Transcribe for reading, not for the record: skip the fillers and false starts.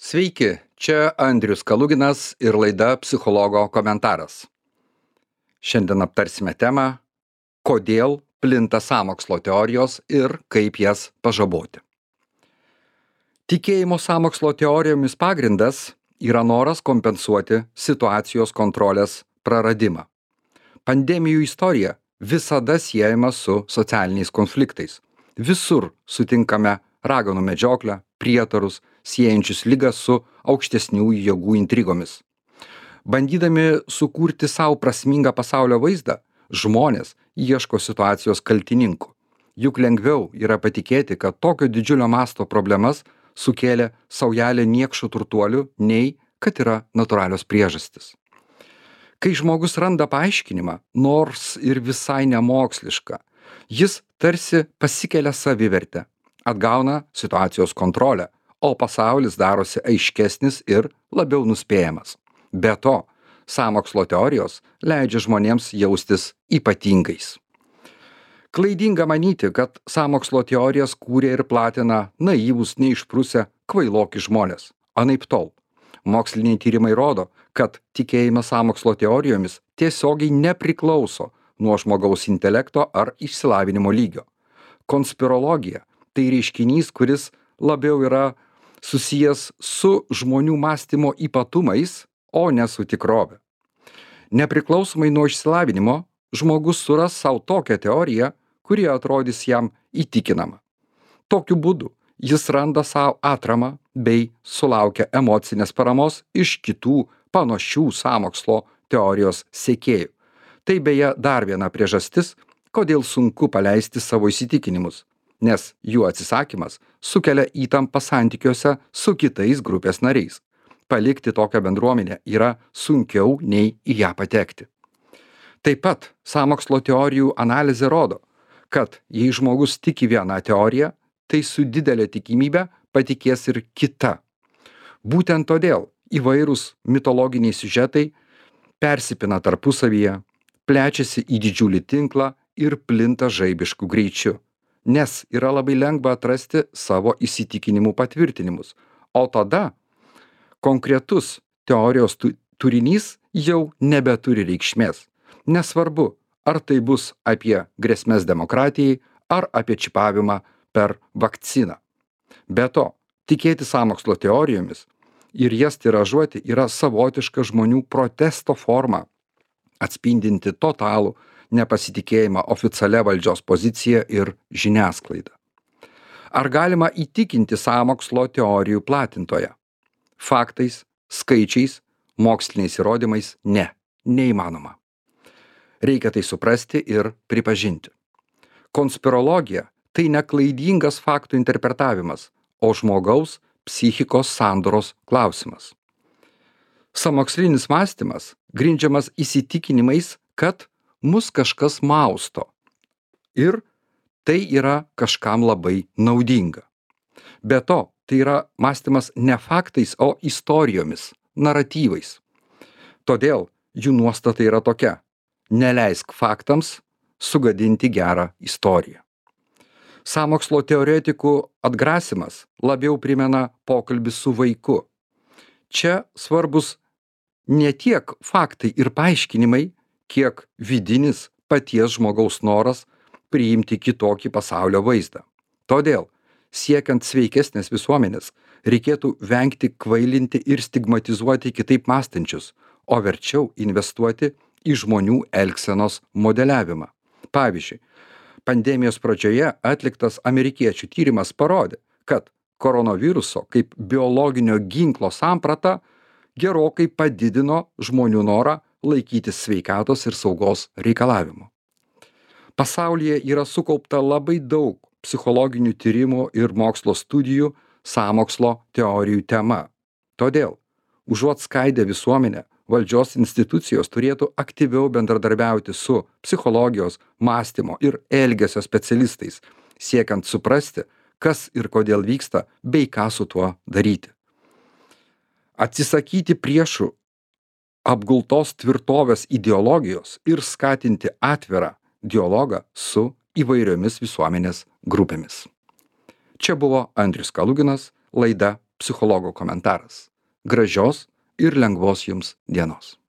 Sveiki, čia Andrius Kaluginas ir laida Psichologo komentaras. Šiandien aptarsime temą, kodėl plinta sąmokslo teorijos ir kaip jas pažaboti. Tikėjimo sąmokslo teorijomis pagrindas yra noras kompensuoti situacijos kontrolės praradimą. Pandemijų istorija visada siejama su socialiniais konfliktais. Visur sutinkame raganų medžioklę, prietarus, siejančius ligą su aukštesnių jėgų intrigomis. Bandydami sukurti savo prasmingą pasaulio vaizdą, žmonės ieško situacijos kaltininkų. Juk lengviau yra patikėti, kad tokio didžiulio masto problemas sukėlė saujelė niekšų turtuolių, nei kad yra natūralios priežastis. Kai žmogus randa paaiškinimą, nors ir visai nemokslišką, jis tarsi pasikelia savivertę, atgauna situacijos kontrolę, o pasaulis darosi aiškesnis ir labiau nuspėjamas. Be to, sąmokslo teorijos leidžia žmonėms jaustis ypatingais. Klaidinga manyti, kad sąmokslo teorijas kūrė ir platina naivūs, neišprusę, kvailoki žmonės. Anaiptol. Moksliniai tyrimai rodo, kad tikėjimas sąmokslo teorijomis tiesiogiai nepriklauso nuo žmogaus intelekto ar išsilavinimo lygio. Konspirologija – tai reiškinys, kuris labiau yra susijęs su žmonių mąstymo ypatumais, o ne su tikrove. Nepriklausomai nuo išsilavinimo, žmogus suras savo tokią teoriją, kuri atrodys jam įtikinama. Tokiu būdu jis randa savo atramą bei sulaukia emocinės paramos iš kitų panašių sąmokslo teorijos sekėjų. Tai beje dar viena priežastis, kodėl sunku paleisti savo įsitikinimus, nes jų atsisakymas sukelia įtampą santykiuose su kitais grupės nariais. Palikti tokią bendruomenę yra sunkiau nei į ją patekti. Taip pat sąmokslo teorijų analizė rodo, kad jei žmogus tiki vieną teoriją, tai su didelė tikimybė patikės ir kita. Būtent todėl įvairūs mitologiniai siužetai persipina tarpusavyje, plečiasi į didžiulį tinklą ir plinta žaibišku greičiu, nes yra labai lengva atrasti savo įsitikinimų patvirtinimus, o tada konkretus teorijos turinys jau nebeturi reikšmės. Nesvarbu, ar tai bus apie grėsmes demokratijai ar apie čipavimą per vakciną. Be to, tikėti sąmokslo teorijomis ir jas tiražuoti yra savotiška žmonių protesto forma, atspindinti totalų nepasitikėjimą oficialia valdžios pozicija ir žiniasklaida. Ar galima įtikinti sąmokslo teorijų platintoją? Faktais, skaičiais, moksliniais įrodymais neįmanoma. Reikia tai suprasti ir pripažinti. Konspirologija – tai neklaidingas faktų interpretavimas, o žmogaus psichikos sandoros klausimas. Sąmokslinis mąstymas grindžiamas įsitikinimais, kad mus kažkas mausto ir tai yra kažkam labai naudinga. Be to, tai yra mąstymas ne faktais, o istorijomis, naratyvais. Todėl jų nuostata yra tokia: neleisk faktams sugadinti gerą istoriją. Sąmokslo teoretikų atgrasimas labiau primena pokalbį su vaiku. Čia svarbus ne tiek faktai ir paaiškinimai, kiek vidinis paties žmogaus noras priimti kitokį pasaulio vaizdą. Todėl, siekiant sveikesnės visuomenės, reikėtų vengti kvailinti ir stigmatizuoti kitaip mąstančius, o verčiau investuoti į žmonių elgsenos modeliavimą. Pavyzdžiui, pandemijos pradžioje atliktas amerikiečių tyrimas parodė, kad koronaviruso kaip biologinio ginklo samprata gerokai padidino žmonių norą laikytis sveikatos ir saugos reikalavimų. Pasaulyje yra sukaupta labai daug psichologinių tyrimų ir mokslo studijų sąmokslo teorijų tema. Todėl, užuot skaidę visuomenę, valdžios institucijos turėtų aktyviau bendradarbiauti su psichologijos, mąstymo ir elgesio specialistais, siekiant suprasti, kas ir kodėl vyksta, bei ką su tuo daryti. Atsisakyti priešų apgultos tvirtovės ideologijos ir skatinti atvirą dialogą su įvairiomis visuomenės grupėmis. Čia buvo Andrius Kaluginas, laida psichologo komentaras. Gražios ir lengvos jums dienos.